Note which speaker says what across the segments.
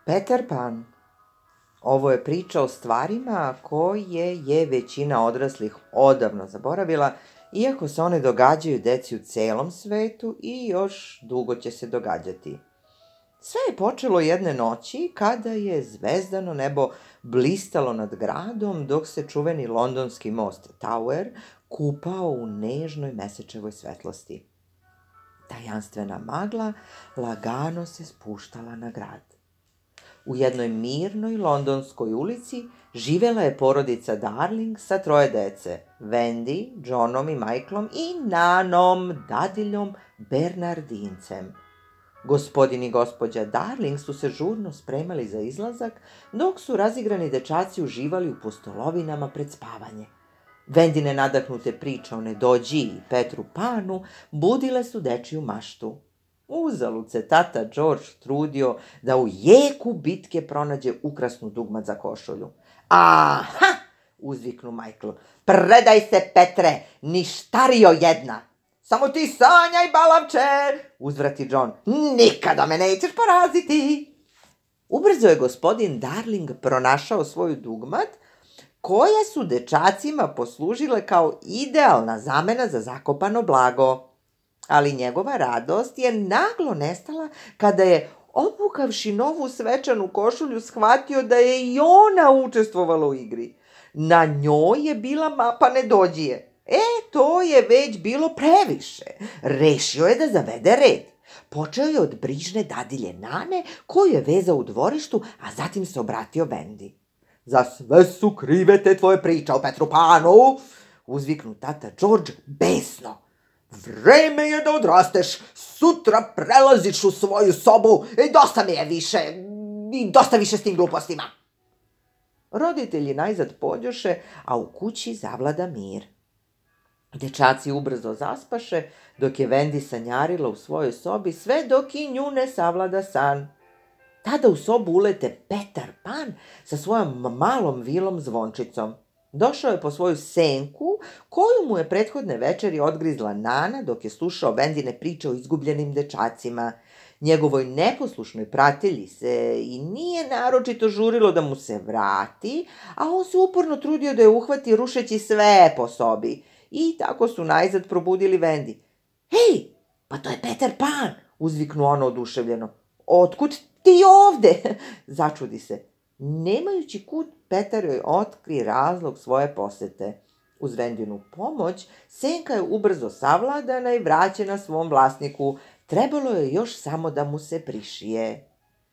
Speaker 1: Peter Pan. Ovo je priča o stvarima koje je većina odraslih odavno zaboravila, iako se one događaju deci u celom svetu i još dugo će se događati. Sve je počelo jedne noći kada je zvezdano nebo blistalo nad gradom dok se čuveni londonski most Tower kupao u nežnoj mesečevoj svetlosti. Tajanstvena magla lagano se spuštala na grad. U jednoj mirnoj londonskoj ulici živela je porodica Darling sa 3 dece, Wendy, Johnom i Michaelom i Nanom, dadiljom Bernardincem. Gospodin i gospođa Darling su se žurno spremali za izlazak, dok su razigrani dečaci uživali u pustolovinama pred spavanje. Wendine nadahnute priče o Nedođiji i Petru Panu budile su dečiju maštu. Uzalud se tata George trudio da u jeku bitke pronađe ukrasnu dugmad za košulju. Aha! Uzviknu Michael. Predaj se, Petre, ništario jedna! Samo ti sanjaj, balavče! Uzvrati John. Nikada me nećeš poraziti! Ubrzo je gospodin Darling pronašao svoju dugmad, koja su dečacima poslužile kao idealna zamena za zakopano blago. Ali njegova radost je naglo nestala kada je, obukavši novu svečanu košulju, shvatio da je i ona učestvovala u igri. Na njoj je bila mapa Nedođije. To je već bilo previše. Rešio je da zavede red. Počeo je od brižne dadilje Nane, koju je vezao u dvorištu, a zatim se obratio Wendy. Za sve su krive te tvoje priče o Petru Panu, uzviknu tata George besno. Vreme je da odrasteš, sutra prelaziš u svoju sobu i dosta više s tim glupostima. Roditelji najzad pođoše, a u kući zavlada mir. Dečaci ubrzo zaspaše, dok je Wendy sanjarila u svojoj sobi, sve dok i nju ne savlada san. Tada u sobu ulete Peter Pan sa svojom malom vilom zvončicom. Došao je po svoju senku, koju mu je prethodne večeri odgrizla Nana dok je slušao Wendine priče o izgubljenim dečacima. Njegovoj neposlušnoj pratelji se i nije naročito žurilo da mu se vrati, a on se uporno trudio da je uhvati rušeći sve po sobi. I tako su najzad probudili Wendy. Hej, pa to je Peter Pan, uzviknu ono oduševljeno. Otkud ti ovde? Začudi se. Nemajući kud, Petar joj otkri razlog svoje posete. Uz Wendinu pomoć, senka je ubrzo savladana i vraćena svom vlasniku. Trebalo je još samo da mu se prišije.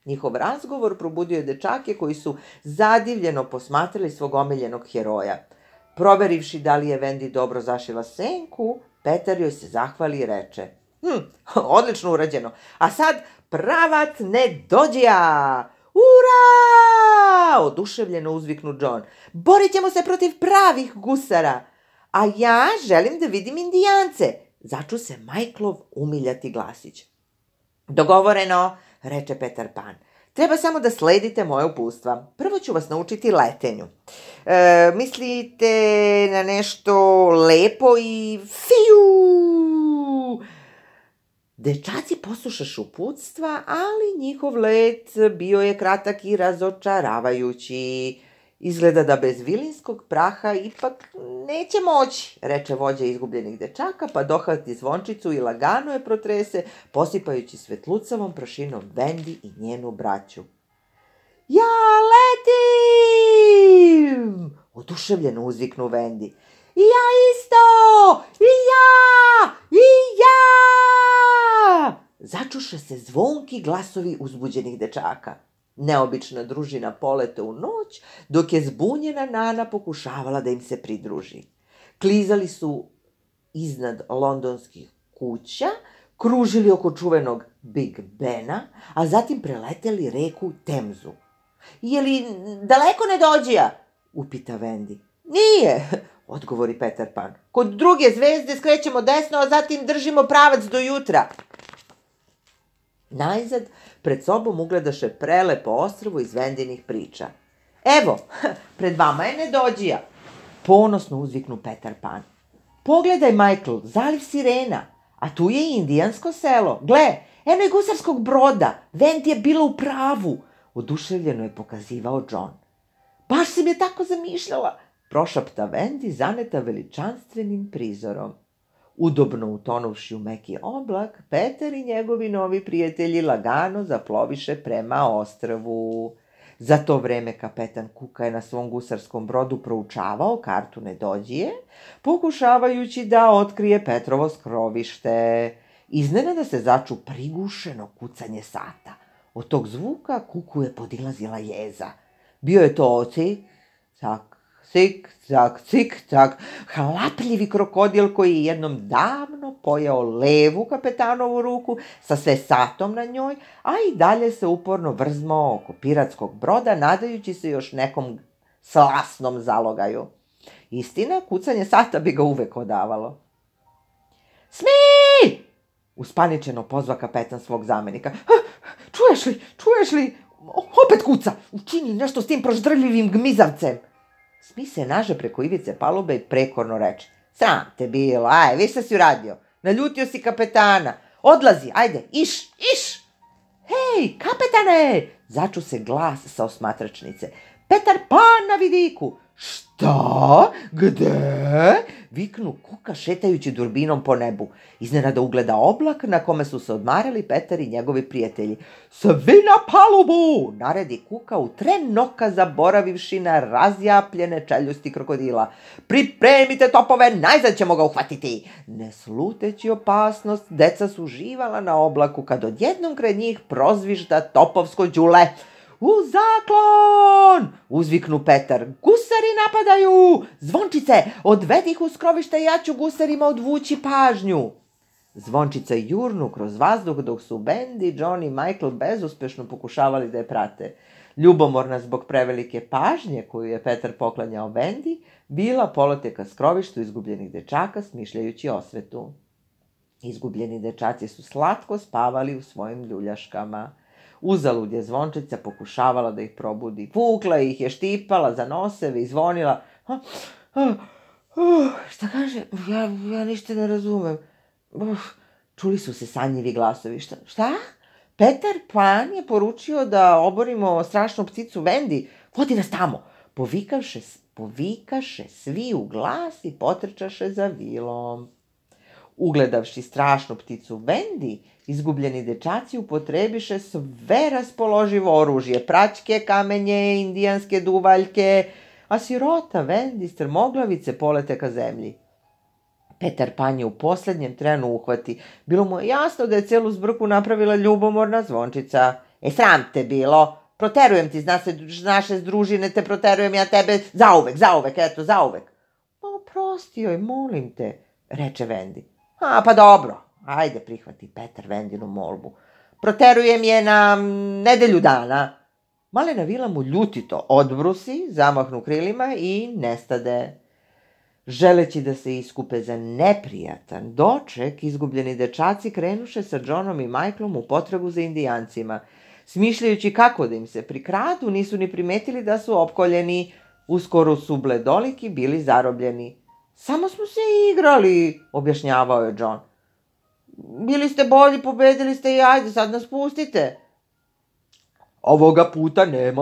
Speaker 1: Njihov razgovor probudio je dečake koji su zadivljeno posmatrali svog omiljenog heroja. Proverivši da li je Wendy dobro zašila senku, Petar joj se zahvali i reče. Odlično urađeno. A sad pravat Nedođija! Ura! Oduševljeno uzviknu John. Borit ćemo se protiv pravih gusara. A ja želim da vidim Indijance. Začu se Michaelov umiljati glasić. Dogovoreno, reče Peter Pan. Treba samo da sledite moje uputstva. Prvo ću vas naučiti letenju. Mislite na nešto lepo i fiu! Dečaci poslušaše uputstva, ali njihov let bio je kratak i razočaravajući. Izgleda da bez vilinskog praha ipak neće moći, reče vođa izgubljenih dečaka, pa dohvati zvončicu i lagano je protrese, posipajući svetlucavom prašinom Wendy i njenu braću. Ja letim! Oduševljeno uzviknu Wendy. I ja isto! I ja! I ja! Začuše se zvonki glasovi uzbuđenih dečaka. Neobična družina polete u noć, dok je zbunjena Nana pokušavala da im se pridruži. Klizali su iznad londonskih kuća, kružili oko čuvenog Big Bena, a zatim preleteli reku Temzu. Je li daleko Nedođija? Upita Wendy. Nije, odgovori Peter Pan. Kod druge zvezde skrećemo desno, a zatim držimo pravac do jutra. Najzad pred sobom ugledaše prelepo ostrvo iz Wendinih priča. Evo, pred vama je Nedođija, ponosno uzviknu Peter Pan. Pogledaj, Michael, zaliv sirena, a tu je i indijansko selo. Gle, eno je gusarskog broda, Wendy je bila u pravu. Oduševljeno je pokazivao John. Baš sam je tako zamišljala, prošapta Wendy, zaneta veličanstvenim prizorom. Udobno utonuvši u meki oblak, Peter i njegovi novi prijatelji lagano zaploviše prema ostrvu. Za to vreme kapetan Kuka je na svom gusarskom brodu proučavao kartu Nedođije, pokušavajući da otkrije Petrovo skrovište. Iznenada se začu prigušeno kucanje sata. Od tog zvuka Kuku je podilazila jeza. Bio je to cik, cak, cik, cak, cik, cak, hlapljivi krokodil koji je jednom davno pojeo levu kapetanovu ruku sa sve satom na njoj, a i dalje se uporno vrzmao oko piratskog broda, nadajući se još nekom slasnom zalogaju. Istina, kucanje sata bi ga uvek odavalo. Smi! Uspaničeno pozva kapetan svog zamenika. Čuješ li? Opet kuca! Učini nešto s tim proždrljivim gmizavcem! Smi se naže preko ivice palube i prekorno reče. Sram te bilo, viš šta si uradio? Naljutio si kapetana. Odlazi, ajde, iš! Hej, kapetane! Začu se glas sa osmatračnice. Petar Pan na vidiku! Šta? Gde? Viknu Kuka šetajući durbinom po nebu. Iznenada ugleda oblak na kome su se odmarali Petar i njegovi prijatelji. Svi na palubu! Naredi Kuka u tren oka zaboravivši na razjapljene čeljusti krokodila. Pripremite topove, najzad ćemo ga uhvatiti! Ne sluteći opasnost, deca su uživala na oblaku kad odjednom kraj njih prozvižda topovsko đule. U zaklon! Uzviknu Petar. Gusari napadaju! Zvončice, odvedi ih u skrovište, ja ću gusarima odvući pažnju. Zvončica jurnu kroz vazduh dok su Wendy, John i Michael bezuspešno pokušavali da je prate. Ljubomorna zbog prevelike pažnje koju je Petar poklanjao Wendy, bila polete ka skrovištu izgubljenih dečaka smišljajući osvetu. Izgubljeni dečaci su slatko spavali u svojim ljuljaškama. Uzalud je Zvončica pokušavala da ih probudi. Vukla ih je, štipala za noseve i zvonila. Šta kaže? Ja ništa ne razumem. Čuli su se sanjivi glasovi. Šta? Petar Pan je poručio da oborimo strašnu pticu Wendy. Vodi nas tamo. Povikaše svi u glas i potrčaše za vilom. Ugledavši strašnu pticu Wendy, izgubljeni dečaci upotrebiše sve raspoloživo oružje, praćke, kamenje, indijanske duvaljke, a sirota Wendy strmoglavice polete ka zemlji. Petar Pan je u poslednjem trenu uhvati. Bilo mu je jasno da je celu zbrku napravila ljubomorna Zvončica. Sram te bilo! Proterujem ti iz naše družine, te proterujem ja tebe zauvek. Oprosti joj, molim te, reče Wendy. Pa dobro, ajde prihvati Petar Wendinu molbu. Proterujem je na nedelju dana. Malena vila mu ljutito odbrusi, zamahnu krilima i nestade. Želeći da se iskupe za neprijatan doček, izgubljeni dečaci krenuše sa Johnom i Michaelom u potragu za indijancima. Smišljajući kako da im se prikradu, nisu ni primetili da su opkoljeni. Uskoro su bledoliki bili zarobljeni. Samo smo se igrali, objašnjavao je John. Bili ste bolji, pobedili ste i ajde, sad nas pustite. Ovoga puta nema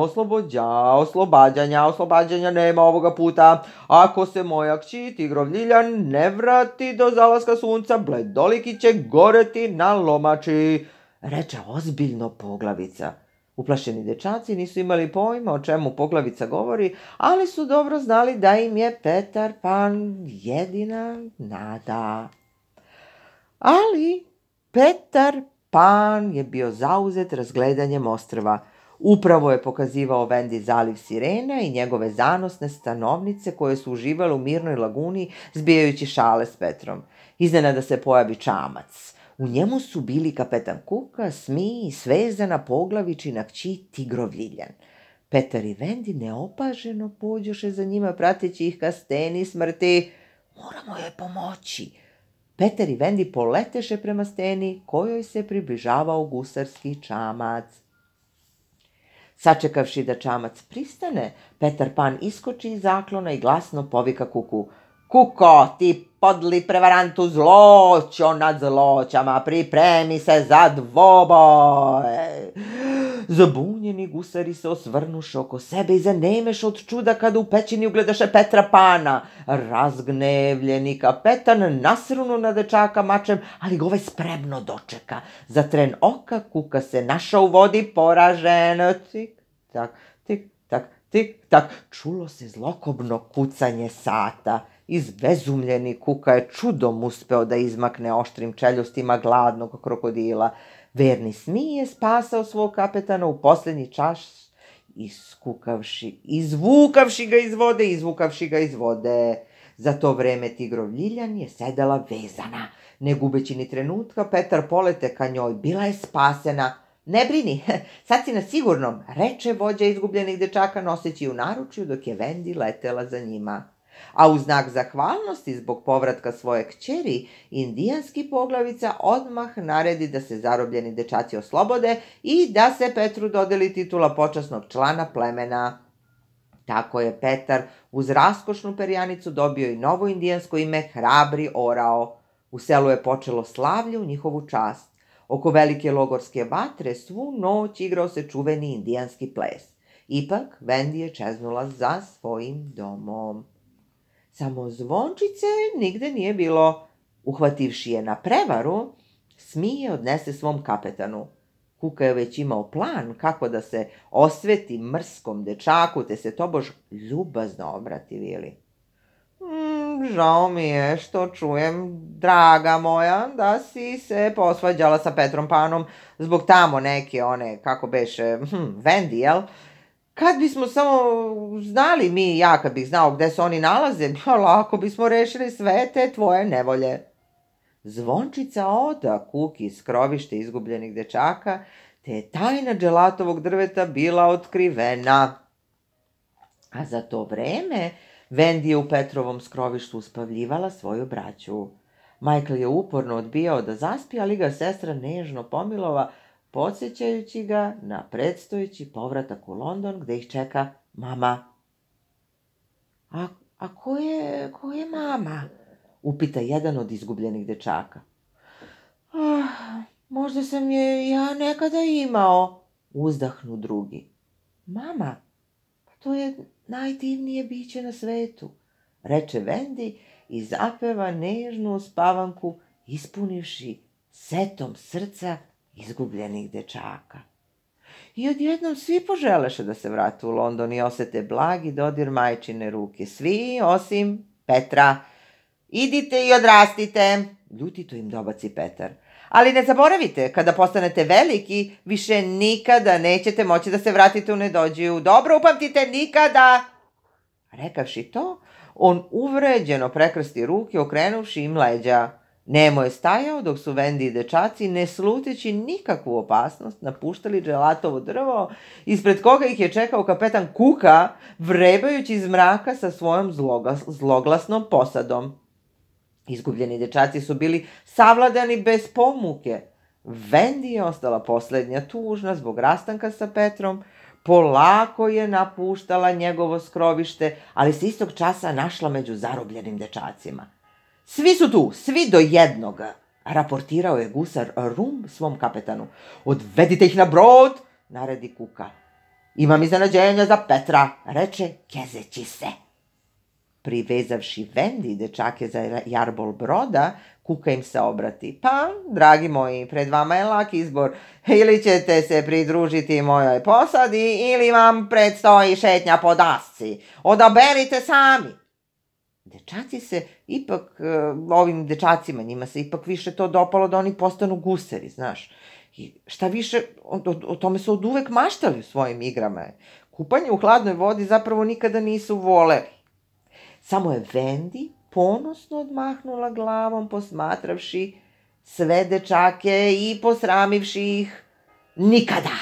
Speaker 1: oslobađanja nema ovoga puta. Ako se moja kći Tigrovljiljan ne vrati do zalaska sunca, bledoliki će goreti na lomači, reče ozbiljno Poglavica. Uplašeni dečaci nisu imali pojma o čemu Poglavica govori, ali su dobro znali da im je Petar Pan jedina nada. Ali Petar Pan je bio zauzet razgledanjem ostrva. Upravo je pokazivao Wendy zaliv Sirena i njegove zanosne stanovnice koje su uživale u mirnoj laguni zbijajući šale s Petrom. Iznenada se pojavi čamac. U njemu su bili kapetan Kuka, Smi i svezana Poglavičina kći Tigrovljiljan. Petar i Wendy neopaženo pođoše za njima prateći ih ka steni smrti. Moramo joj pomoći. Petar i Wendy poleteše prema steni kojoj se približavao gusarski čamac. Sačekavši da čamac pristane, Petar Pan iskoči iz zaklona i glasno povika Kuku. Kuko, ti podli prevarantu, zloćo nad zloćama, pripremi se za dvoboj. Zabunjeni gusari se osvrnuše oko sebe i zanemeš od čuda kada u pećini ugledaše Petra Pana. Razgnevljeni kapetan nasrnu na dečaka mačem, ali ga ovaj spremno dočeka. Za tren oka Kuka se našao u vodi poražen. Tik, tak, tik, tak, tik, tak. Čulo se zlokobno kucanje sata. Izbezumljeni Kuka je čudom uspeo da izmakne oštrim čeljustima gladnog krokodila. Verni Smije spasao svog kapetana u posljednji čas, izvukavši ga iz vode. Za to vreme tigrov Ljiljan je sedela vezana. Ne gubeći ni trenutka, Petar polete ka njoj. Bila je spasena. Ne brini, sad si na sigurnom, reče vođa izgubljenih dečaka noseći u naručju dok je Vendi letela za njima. A u znak zahvalnosti zbog povratka svoje kćeri, indijanski poglavica odmah naredi da se zarobljeni dečaci oslobode i da se Petru dodeli titula počasnog člana plemena. Tako je Petar uz raskošnu perjanicu dobio i novo indijansko ime Hrabri orao. U selu je počelo slavlje u njihovu čast. Oko velike logorske vatre svu noć igrao se čuveni indijanski ples. Ipak Vendi je čeznula za svojim domom. Samo Zvončice nigde nije bilo. Uhvativši je na prevaru, Smije odnese svom kapetanu. Kuka je već imao plan kako da se osveti mrskom dečaku, te se tobož ljubazno obrati Vili. Žao mi je što čujem, draga moja, da si se posvađala sa Petrom Panom zbog tamo neke one, kako beše, Vendi, jel? Kad bismo samo znali mi i ja, kad bih znao gde se oni nalaze, lako bismo rešili sve te tvoje nevolje. Zvončica oda Kuki iz skrovište izgubljenih dečaka, te je tajna dželatovog drveta bila otkrivena. A za to vreme Vendi je u Petrovom skrovištu uspavljivala svoju braću. Majkl je uporno odbijao da zaspi, ali ga sestra nežno pomilova, podsjećajući ga na predstojeći povratak u London gde ih čeka mama. A ko je mama? Upita jedan od izgubljenih dečaka. Možda sam je ja nekada imao, uzdahnu drugi. Mama, to je najdivnije biće na svetu, reče Vendi i zapeva nežnu uspavanku, ispunivši setom srca izgubljenih dečaka. I odjednom svi poželeše da se vrate u London i osete blagi dodir majčine ruke. Svi osim Petra. Idite i odrastite, ljutito im dobaci Petar. Ali ne zaboravite, kada postanete veliki, više nikada nećete moći da se vratite u Nedođiju. Dobro upamtite, nikada! Rekavši to, on uvređeno prekrsti ruke, okrenuvši im leđa. Nemo je stajao dok su Vendi i dečaci, ne sluteći nikakvu opasnost, napuštali dželatovo drvo, ispred koga ih je čekao kapetan Kuka, vrebajući iz mraka sa svojom zloglasnom posadom. Izgubljeni dečaci su bili savladani bez pomuke. Vendi je ostala poslednja tužna zbog rastanka sa Petrom, polako je napuštala njegovo skrovište, ali se istog časa našla među zarobljenim dečacima. Svi su tu, svi do jednoga, raportirao je gusar Rum svom kapetanu. Odvedite ih na brod, naredi Kuka. Imam iznenađenja za Petra, reče kezeći se. Privezavši Vendi i dečake za jarbol broda, Kuka im se obrati. Pa, dragi moji, pred vama je lak izbor. Ili ćete se pridružiti mojoj posadi, ili vam predstoji šetnja po dasci. Odaberite sami. Dečaci se ipak, ovim dečacima, njima se ipak više to dopalo da oni postanu gusari, znaš. I šta više, o tome su oduvek maštali u svojim igrama. Kupanje u hladnoj vodi zapravo nikada nisu voleli. Samo je Vendi ponosno odmahnula glavom, posmatravši sve dečake i posramivši ih. Nikada,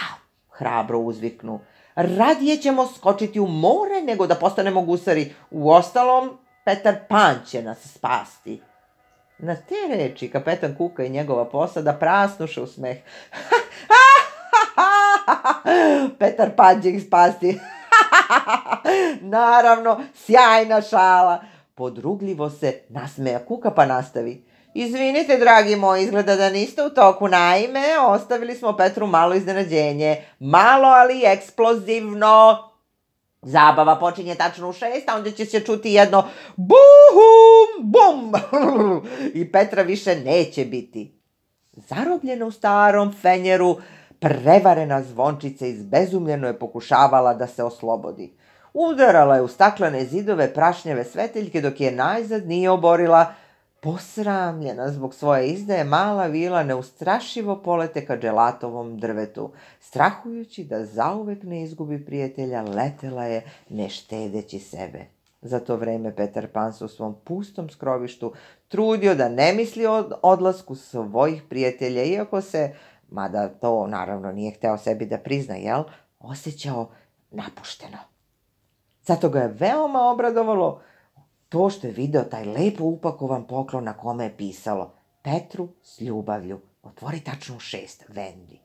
Speaker 1: hrabro uzviknu. Radije ćemo skočiti u more nego da postanemo gusari. Uostalom, Petar Pan će nas spasti. Na te reči kapetan Kuka i njegova posada prasnuše u smeh. Petar Pan će ih spasti. Naravno, sjajna šala. Podrugljivo se nasmeja Kuka pa nastavi. Izvinite, dragi moji, izgleda da niste u toku. Naime, ostavili smo Petru malo iznenađenje. Malo, ali eksplozivno. Zabava počinje tačno u 6, a onda će se čuti jedno buhum, bum, i Petra više neće biti. Zarobljena u starom fenjeru, prevarena zvončica izbezumljeno je pokušavala da se oslobodi. Udarala je u staklene zidove prašnjave sveteljke dok je najzad nije oborila. Posramljena zbog svoje izdaje, mala vila neustrašivo polete ka dželatovom drvetu. Strahujući da zauvek ne izgubi prijatelja, letela je ne štedeći sebe. Za to vreme Petar Pan se u svom pustom skrovištu trudio da ne misli o odlasku svojih prijatelja, iako se, mada to naravno nije hteo sebi da prizna, osjećao napušteno. Zato ga je veoma obradovalo to što je video taj lepo upakovan poklon na kome je pisalo Petru s ljubavlju, otvori tačno u 6, Vendi.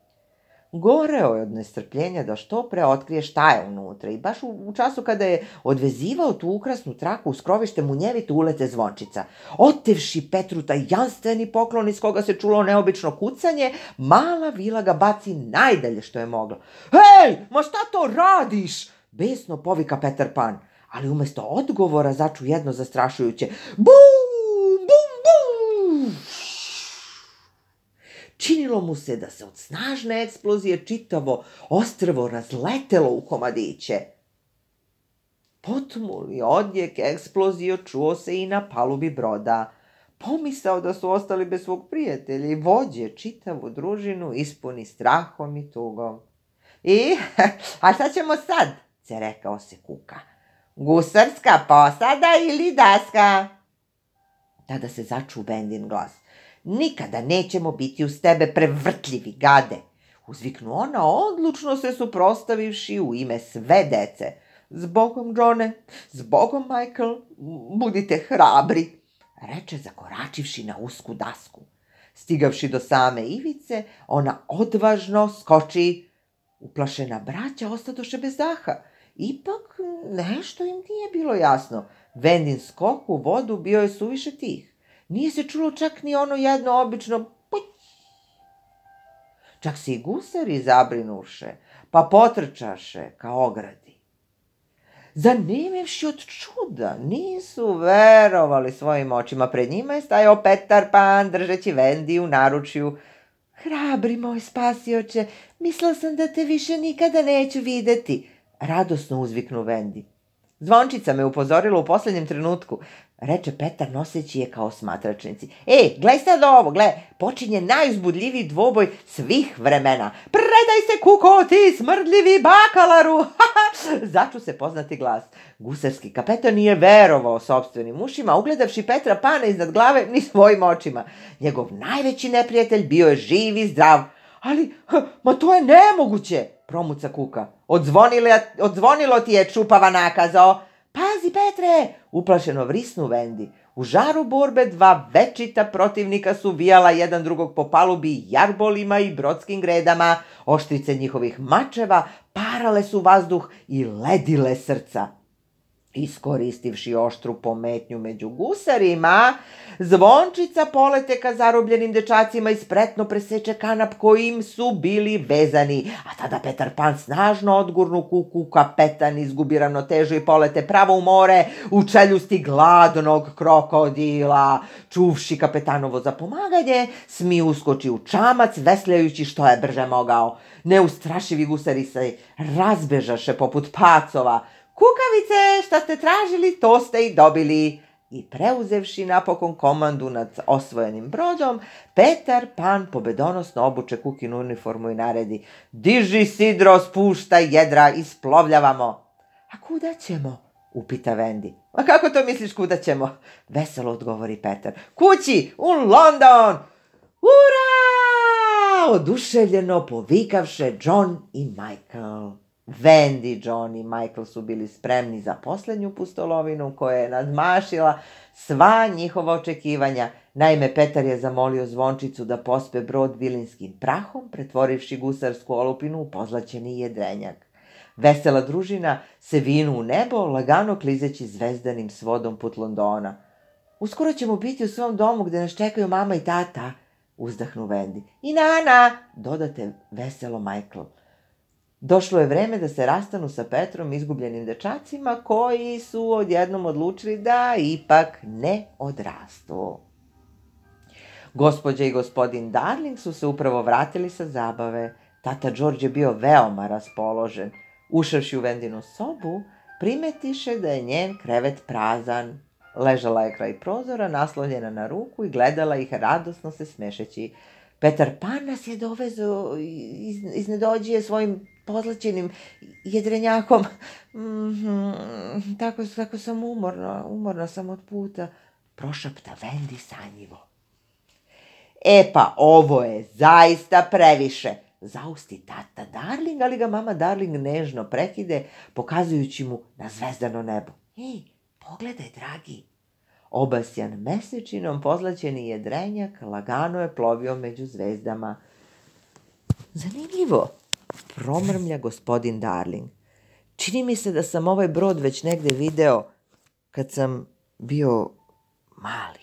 Speaker 1: Goreo je od nestrpljenja da što pre otkrije šta je unutra i baš u času kada je odvezivao tu ukrasnu traku u skrovište munjevito ulete zvončica. Otevši Petru taj janstveni poklon iz koga se čulo neobično kucanje, mala vila ga baci najdalje što je mogla. Hej, ma šta to radiš? Besno povika Petar Pan, ali umesto odgovora začu jedno zastrašujuće bum, bum, bum. Činilo mu se da se od snažne eksplozije čitavo ostrvo razletelo u komadiće. Potmuli odjek eksplozije čuo se i na palubi broda. Pomisao da su ostali bez svog prijatelja i vođe čitavu družinu ispuni strahom i tugom. A šta ćemo sad? Se rekao se Kuka. Gusarska posada ili daska? Tada se začu Vendin glas. Nikada nećemo biti uz tebe, prevrtljivi gade, uzviknu ona, odlučno se suprostavivši u ime sve dece. Zbogom, Johne, zbogom, Michael, budite hrabri, reče zakoračivši na usku dasku. Stigavši do same ivice, ona odvažno skoči. Uplašena braća ostadoše bez daha. Ipak nešto im nije bilo jasno. Vendin skok u vodu bio je suviše tih. Nije se čulo čak ni ono jedno obično puć. Čak se i gusari zabrinuše, pa potrčaše ka ogradi. Zanimevši od čuda, nisu verovali svojim očima. Pred njima je stajao Petar Pan, držeći Vendi u naručju. Hrabri moj spasioče, mislila sam da te više nikada neću videti, radosno uzviknu Vendi. Zvončica me upozorila u poslednjem trenutku, reče Petar noseći je kao smatračnici. Glej sad ovo, počinje najuzbudljiviji dvoboj svih vremena. Predaj se, Kuko, ti smrdljivi bakalaru! Začu se poznati glas. Gusarski kapetan nije verovao sopstvenim ušima, ugledavši Petra Pana iznad glave ni svojim očima. Njegov najveći neprijatelj bio je živ i zdrav. Ali, ma to je nemoguće, promuca Kuka. Odzvonilo ti je, čupava nakazo. Pazi, Petre, uplašeno vrisnu Vendi. U žaru borbe dva večita protivnika su vijala jedan drugog po palubi jarbolima i brodskim gredama. Oštrice njihovih mačeva parale su vazduh i ledile srca. Iskoristivši oštru pometnju među gusarima, zvončica polete ka zarobljenim dečacima i spretno preseče kanap kojim su bili vezani, a tada Petar Pan snažno odgurnu Kuku, kapetan izgubi ravnotežu i polete pravo u more u čeljusti gladnog krokodila. Čuvši kapetanovo zapomaganje, Smi uskoči u čamac, vesljajući što je brže mogao. Neustrašivi gusari se razbežaše poput pacova. Kukavice, šta ste tražili, to ste i dobili. I preuzevši napokon komandu nad osvojenim brodom, Petar Pan pobedonosno obuče Kukinu uniformu i naredi. Diži sidro, spuštaj jedra, isplovljavamo. A kuda ćemo? Upita Vendi. A kako to misliš kuda ćemo? Veselo odgovori Petar. Kući, u London! Ura! Oduševljeno povikavše John i Michael. Vendi, John i Michael su bili spremni za poslednju pustolovinu koja je nadmašila sva njihova očekivanja. Naime, Petar je zamolio zvončicu da pospe brod vilinskim prahom, pretvorivši gusarsku olupinu u pozlaćeni jedrenjak. Vesela družina se vinu u nebo, lagano klizeći zvezdanim svodom put Londona. Uskoro ćemo biti u svom domu gde nas čekaju mama i tata, uzdahnu Wendy. I Nana, dodate veselo Michael. Došlo je vreme da se rastanu sa Petrom izgubljenim dečacima koji su odjednom odlučili da ipak ne odrastu. Gospođa i gospodin Darling su se upravo vratili sa zabave. Tata George je bio veoma raspoložen. Ušavši u Wendinu sobu, primetiše da je njen krevet prazan. Ležala je kraj prozora, naslonjena na ruku i gledala ih radosno se smešeći. Petar Pan nas je dovezao iz nedođije svojim pozlaćenim jedrenjakom. Tako sam umorna sam od puta, prošapta Wendy sanjivo. Pa ovo je zaista previše, zausti tata Darling, ali ga mama Darling nežno prekide, pokazujući mu na zvezdano nebo. Pogledaj, dragi. Obasjan mesečinom pozlaćeni jedrenjak lagano je plovio među zvezdama. Zanimljivo, promrmlja gospodin Darling. Čini mi se da sam ovaj brod već negde video kad sam bio mali.